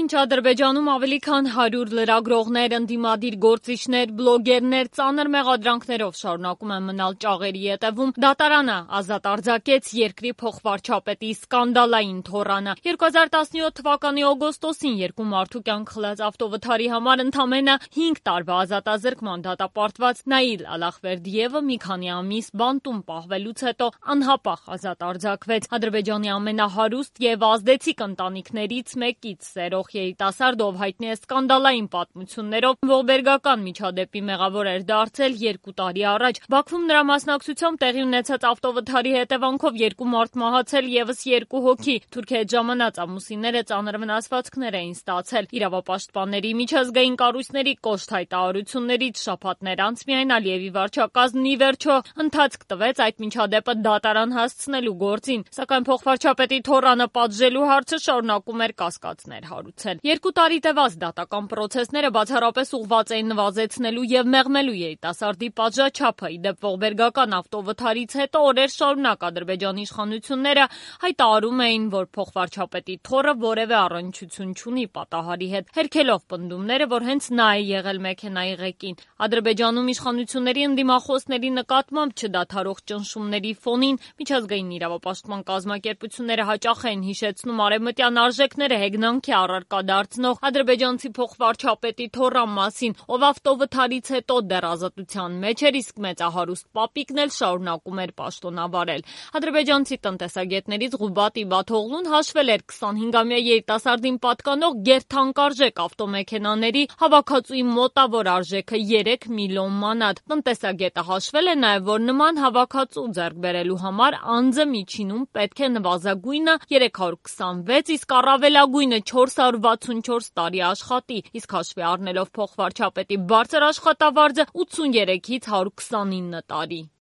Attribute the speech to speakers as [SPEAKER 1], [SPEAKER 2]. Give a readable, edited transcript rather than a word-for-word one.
[SPEAKER 1] Մինչ Ադրբեջանում ավելի քան 100 լրագրողներ, ընդդիմադիր գործիչներ, բլոգերներ ծանր մեղադրանքներով շարունակում են մնալ ճաղերի ետևում, դատարանը ազատ արձակեց երկրի փոխվարչապետի սկանդալային թոռանը։ 2017 թվականի օգոստոսին երկու մարդու կյանք խլած ավտովթարի համար ընդամենը 5 տարվա ազատազրկման դատապարտված Նաիլ Ալախվերդիևը մի քանի ամիս բանտում պահվելուց հետո անհապաղ ազատ արձակվեց։ Ադրբեջանի ամենահարուստ եւ ազդեցիկ ընտանիքներից մեկից երիտասարդ, ով հայտնի է սկանդալային պատմություններով, ողբերգական միջադեպի մեղավոր էր դարձել 2 տարի առաջ։ Բաքվում նրա մասնակցությամբ տեղի ունեցած ավտովթարի հետևանքով 2 մարդ մահացել, եւս 2 հոգի։ Թուրքի հետ ժամանած ամուսինները ծանր վնասվածքներ էին ստացել։ Իրավապաշտպանների, միջազգային կառույցների կոշտ հայտարարություններից շաբաթներ անց միայն Ալիևի վարչակազմն ի վերջո ընթացք տվեց այդ միջադեպը դատարան հասցնելու գործին, սակայն փոխվարչապետի թոռանը պատժելու հարցը շարունակում էր կասկածներ հարուցել։ 2 տարի տևած դատական պրոցեսները բացառապես ուղղված էին նվազեցնելու եւ մեղմելու երիտասարդի պատժաչափը։ Ի դեպ ողբերգական ավտովթարից հետո օրեր շարունակ Ադրբեջանի իշխանությունները հայտարարում էին, որ փոխվարչապետի թոռը որևէ առնչություն չունի պատահարի հետ, հերքելով պնդումները, որ հենց նա է եղել մեքենայի ղեկին։ Ադրբեջանում իշխանությունների ընդդիմախոսների նկատմամբ չդադարող ճնշումների ֆոնին միջազգային իրավապաշտպան կազմակերպությունները հաճախ են հիշեցնում արևմտյան արժեքները հեգնանքի առարկա դարձնող ադրբեջանցի փոխվարչապետի թոռան մասին, ով ավտովթարից հետո դեռ ազատության մեջ էր, իսկ մեծահարուստ պապիկն էլ շարունակում էր պաշտոնավարել։ Ադրբեջանցի տնտեսագետներից Ղուբատ Իբաթօղլուն հաշվել էր 25-ամյա երիտասարդին պատկանող գերթանկարժեք ավտոմեքենաների հավաքածուի մոտավոր արժեքը 3 միլիոն մանատ։ Տնտեսագետը հաշվել է նաև, որ նման հավաքածու ձեռք բերելու համար անձը միջինում պետք է նվազագույնը 326, իսկ առավելագույնը 464 տարի աշխատի, իսկ հաշվի առնելով փոխվարչապետի բարձր աշխատավարձը 83-ից 129 տարի։